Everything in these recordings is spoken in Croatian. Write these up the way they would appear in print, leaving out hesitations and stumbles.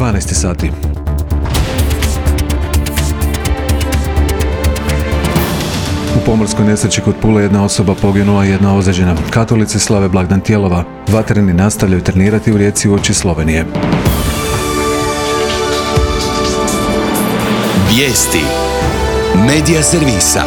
12 sati. U pomorskoj nesreći kod Pule jedna osoba poginula i jedna ozlijeđena. Katolici slave blagdan Tijelova. Vatreni nastavljaju trenirati u Rijeci uoči Slovenije. Vijesti Medija servisa.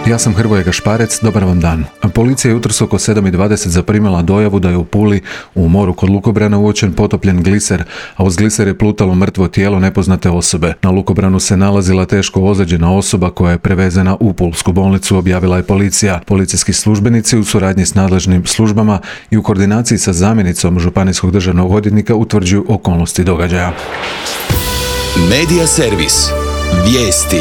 Ja sam Hrvoje Gašparec, dobar vam dan. Policija je jutros oko 7:20 zaprimila dojavu da je u Puli, u moru kod lukobrana, uočen potopljen gliser, a uz gliser je plutalo mrtvo tijelo nepoznate osobe. Na lukobranu se nalazila teško ozlijeđena osoba koja je prevezena u pulsku bolnicu, objavila je policija. Policijski službenici u suradnji s nadležnim službama i u koordinaciji sa zamjenicom županijskog državnog odvjetnika utvrđuju okolnosti događaja. Medija servis. Vijesti.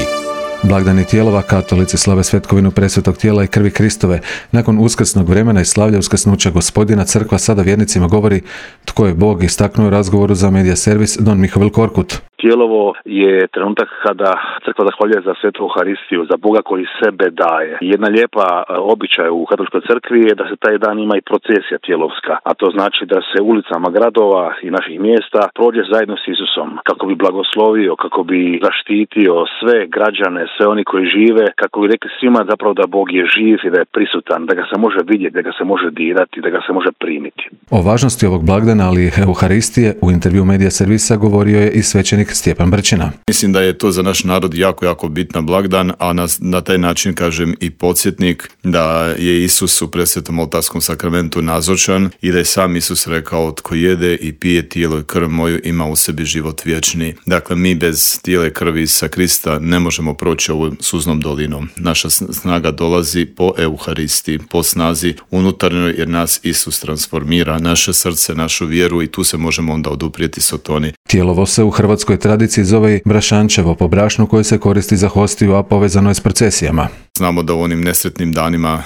Blagdani Tijelova, katolici slave svetkovinu presvetog tijela i krvi Kristove. Nakon uskrsnog vremena i slavlja uskrsnuća Gospodina, crkva sada vjernicima govori tko je Bog, istaknuo u razgovoru za Medija servis don Mihovil Korkut. Tijelovo je trenutak kada crkva zahvaljuje za svetu Euharistiju, za Boga koji sebe daje. Jedna lijepa običaj u katoličkoj crkvi je da se taj dan ima i procesija tijelovska, a to znači da se ulicama gradova i naših mjesta prođe zajedno s Isusom, kako bi blagoslovio, kako bi zaštitio sve građane, sve oni koji žive, kako bi rekli svima zapravo da Bog je živ i da je prisutan, da ga se može vidjeti, da ga se može dirati, da ga se može primiti. O važnosti ovog blagdana, ali i Euharistije, u intervju Medija servisa govorio je i svećenik Stjepan Brčina. Mislim da je to za naš narod jako bitna blagdan, a na taj način kažem i podsjetnik da je Isus u presvetom oltarskom sakramentu nazočan i da je sam Isus rekao tko jede i pije tijelo i krv moju ima u sebi život vječni. Dakle, mi bez tijela i krvi sa Krista ne možemo proći ovom suznom dolinom. Naša snaga dolazi po Euharisti, po snazi unutarnjoj, jer nas Isus transformira, naše srce, našu vjeru, i tu se možemo onda oduprijeti Sotoni. Tijelovo se u hrvatskoj tradiciji zove i brašančevo po brašnu koje se koristi za hostiju, a povezano je s procesijama. Znamo da u onim nesretnim danima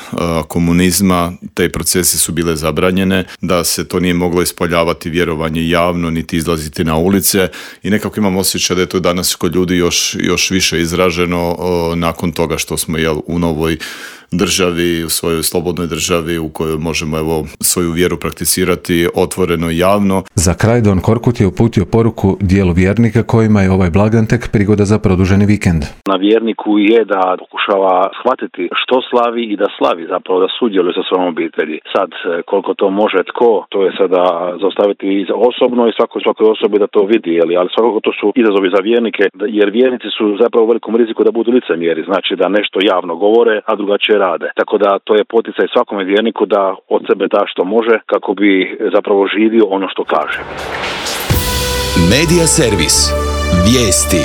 komunizma te procesije su bile zabranjene, da se to nije moglo ispoljavati vjerovanje javno, niti izlaziti na ulice, i nekako imam osjećaj da je to danas kod ljudi još više izraženo nakon toga što smo u novoj državi, u svojoj slobodnoj državi u kojoj možemo svoju vjeru prakticirati otvoreno i javno. Za kraj don Korkut je uputio poruku dijelu vjernika kojima je ovaj blagdan tek prigoda za produženi vikend. Na vjerniku je da pokušava shvatiti što slavi i da slavi, zapravo da sudjeluje sa svojom obitelji. Sad, koliko to može tko, to je sada zaustaviti osobno i svakoj osobi da to vidi, ali svakako to su izazovi za vjernike, jer vjernici su zapravo u velikom riziku da budu licemjeri, znači da nešto javno govore, a drugačije rade. Tako da to je poticaj svakome vjerniku da od sebe da što može kako bi zapravo živio ono što kaže. Medija servis. Vijesti.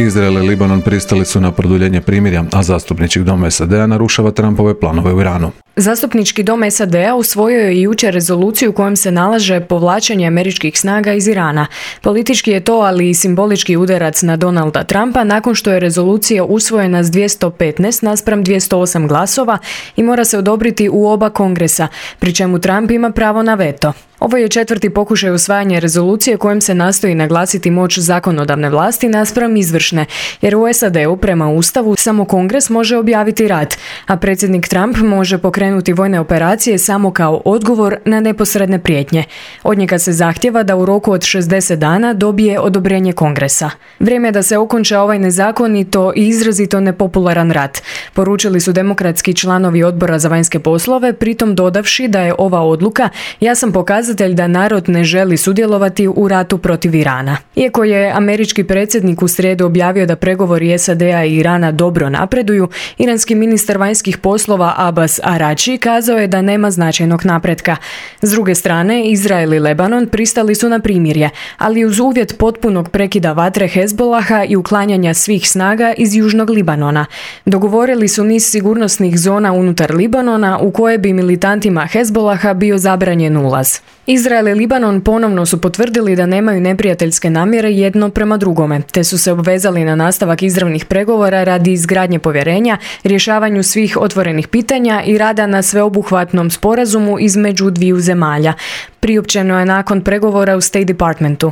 Izrael i Libanon pristali su na produljenje primirja, a zastupnički dom SAD-a narušava Trumpove planove u Iranu. Zastupnički dom SAD-a usvojio je jučer rezoluciju kojom se nalaže povlačenje američkih snaga iz Irana. Politički je to, ali i simbolički udarac na Donalda Trumpa nakon što je rezolucija usvojena s 215 naspram 208 glasova i mora se odobriti u oba kongresa, pri čemu Trump ima pravo na veto. Ovo je četvrti pokušaj usvajanja rezolucije kojom se nastoji naglasiti moć zakonodavne vlasti naspram izvršne, jer u SAD-u prema Ustavu samo Kongres može objaviti rat, a predsjednik Trump može pokrenuti vojne operacije samo kao odgovor na neposredne prijetnje. Od njega se zahtjeva da u roku od 60 dana dobije odobrenje Kongresa. Vrijeme je da se okonča ovaj nezakonito i izrazito nepopularan rat, poručili su demokratski članovi Odbora za vanjske poslove, pritom dodavši da je ova odluka jasan pokazatelj da narod ne želi sudjelovati u ratu protiv Irana. Iako je američki predsjednik u srijedu objavio da pregovori SAD-a i Irana dobro napreduju, iranski ministar vanjskih poslova Abbas Araghchi kazao je da nema značajnog napretka. S druge strane, Izrael i Lebanon pristali su na primirje, ali uz uvjet potpunog prekida vatre Hezbolaha i uklanjanja svih snaga iz južnog Libanona. Dogovorili su niz sigurnosnih zona unutar Libanona u koje bi militantima Hezbolaha bio zabranjen ulaz. Izrael i Libanon ponovno su potvrdili da nemaju neprijateljske namjere jedno prema drugome, te su se obvezali na nastavak izravnih pregovora radi izgradnje povjerenja, rješavanju svih otvorenih pitanja i rada na sveobuhvatnom sporazumu između dviju zemalja. Priopćeno je nakon pregovora u State Departmentu.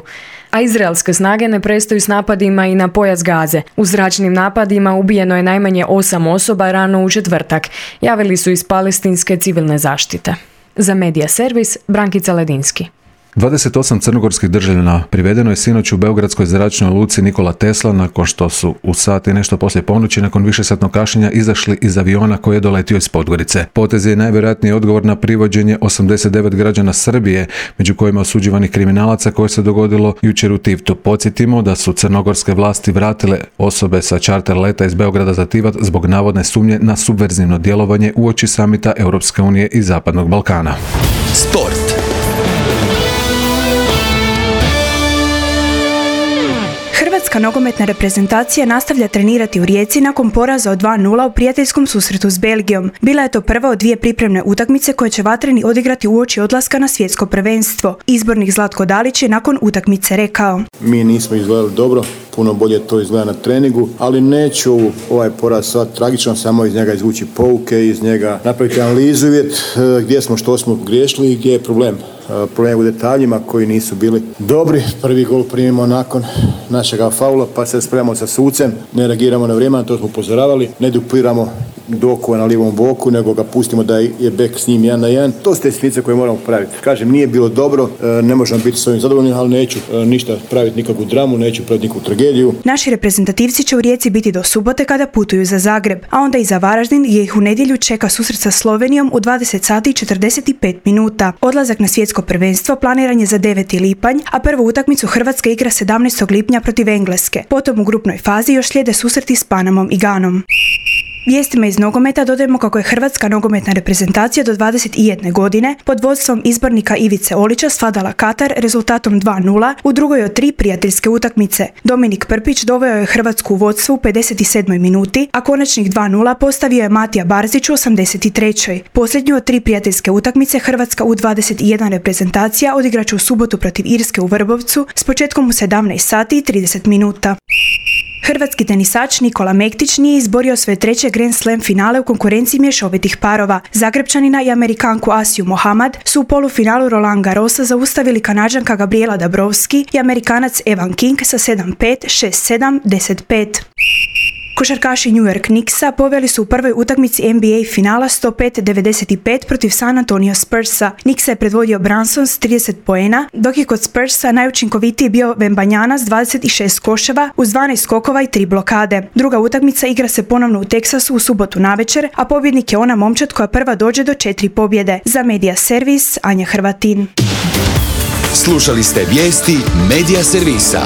A izraelske snage ne prestaju s napadima i na pojas Gaze. U zračnim napadima ubijeno je najmanje 8 osoba rano u četvrtak, javili su iz palestinske civilne zaštite. Za Medija servis, Brankica Ledinski. 28 crnogorskih državljana privedeno je sinoć u beogradskoj zračnoj luci Nikola Tesla nakon što su u sat i nešto poslije ponoći nakon višesatnog kašnjenja izašli iz aviona koji je doletio iz Podgorice. Potez je najvjerojatniji odgovor na privođenje 89 građana Srbije, među kojima osuđivanih kriminalaca koje se dogodilo jučer u Tivtu. Podsjetimo da su crnogorske vlasti vratile osobe sa čarter leta iz Beograda za Tivat zbog navodne sumnje na subverzivno djelovanje uoči samita Europske unije i Zapadnog Balkana. Sport. Hrvatska nogometna reprezentacija nastavlja trenirati u Rijeci nakon poraza od 2:0 u prijateljskom susretu s Belgijom. Bila je to prva od dvije pripremne utakmice koje će vatreni odigrati uoči odlaska na svjetsko prvenstvo. Izbornik Zlatko Dalić je nakon utakmice rekao: Mi nismo izgledali dobro, puno bolje to izgleda na treningu, ali neću ovaj poraz sad tragično, samo iz njega izvući pouke, iz njega napraviti analizu, vidjeti gdje smo, što smo griješili i gdje je problem. Problem u detaljima koji nisu bili dobri. Prvi gol primimo nakon našega faula, pa se spremamo sa sucem, ne reagiramo na vrijeme, na to smo upozoravali, ne dupliramo Dokova na lijevom boku, nego ga pustimo da je bek s njim 1-1. To su te sitnice koje moramo praviti. Kažem, nije bilo dobro, ne možemo biti s ovim zadovoljni, ali neću ništa praviti, nikakvu dramu, neću praviti nikakvu tragediju. Naši reprezentativci će u Rijeci biti do subote kada putuju za Zagreb, a onda i za Varaždin gdje ih u nedjelju čeka susret sa Slovenijom u 20 sati i 45 minuta. Odlazak na svjetsko prvenstvo planiran je za 9. lipanj, a prvu utakmicu Hrvatska igra 17. lipnja protiv Engleske. Potom u grupnoj fazi još slijede susreti s Panamom i Ganom. Vijestima iz nogometa dodajemo kako je Hrvatska nogometna reprezentacija do 21 godine pod vodstvom izbornika Ivice Olića svladala Katar rezultatom 2:0 u drugoj od 3 prijateljske utakmice. Dominik Prpić doveo je Hrvatsku u vodstvo u 57. minuti, a konačnih 2:0 postavio je Matija Barzić u 83. Posljednju od 3 prijateljske utakmice Hrvatska U21 reprezentacija odigraće u subotu protiv Irske u Vrbovcu s početkom u 17 sati i 30 minuta. Hrvatski tenisač Nikola Mektić nije izborio svoje 3. Grand Slam finale u konkurenciji mješovitih parova. Zagrebčanina i Amerikanku Asiju Mohamad su u polufinalu Roland Garrosa zaustavili Kanađanka Gabriela Dabrowski i Amerikanac Evan King sa 7-5, 6-7, 10-5. Košarkaši New York Knicksa poveli su u prvoj utakmici NBA finala 105-95 protiv San Antonio Spursa. Knicksa je predvodio Brunson s 30 poena, dok je kod Spursa najučinkovitiji bio Wembanyama s 26 koševa uz 12 skokova i 3 blokade. Druga utakmica igra se ponovno u Teksasu u subotu navečer, a pobjednik je ona momčad koja prva dođe do 4 pobjede. Za Media Servis, Anja Hrvatin. Slušali ste vijesti Media Servisa.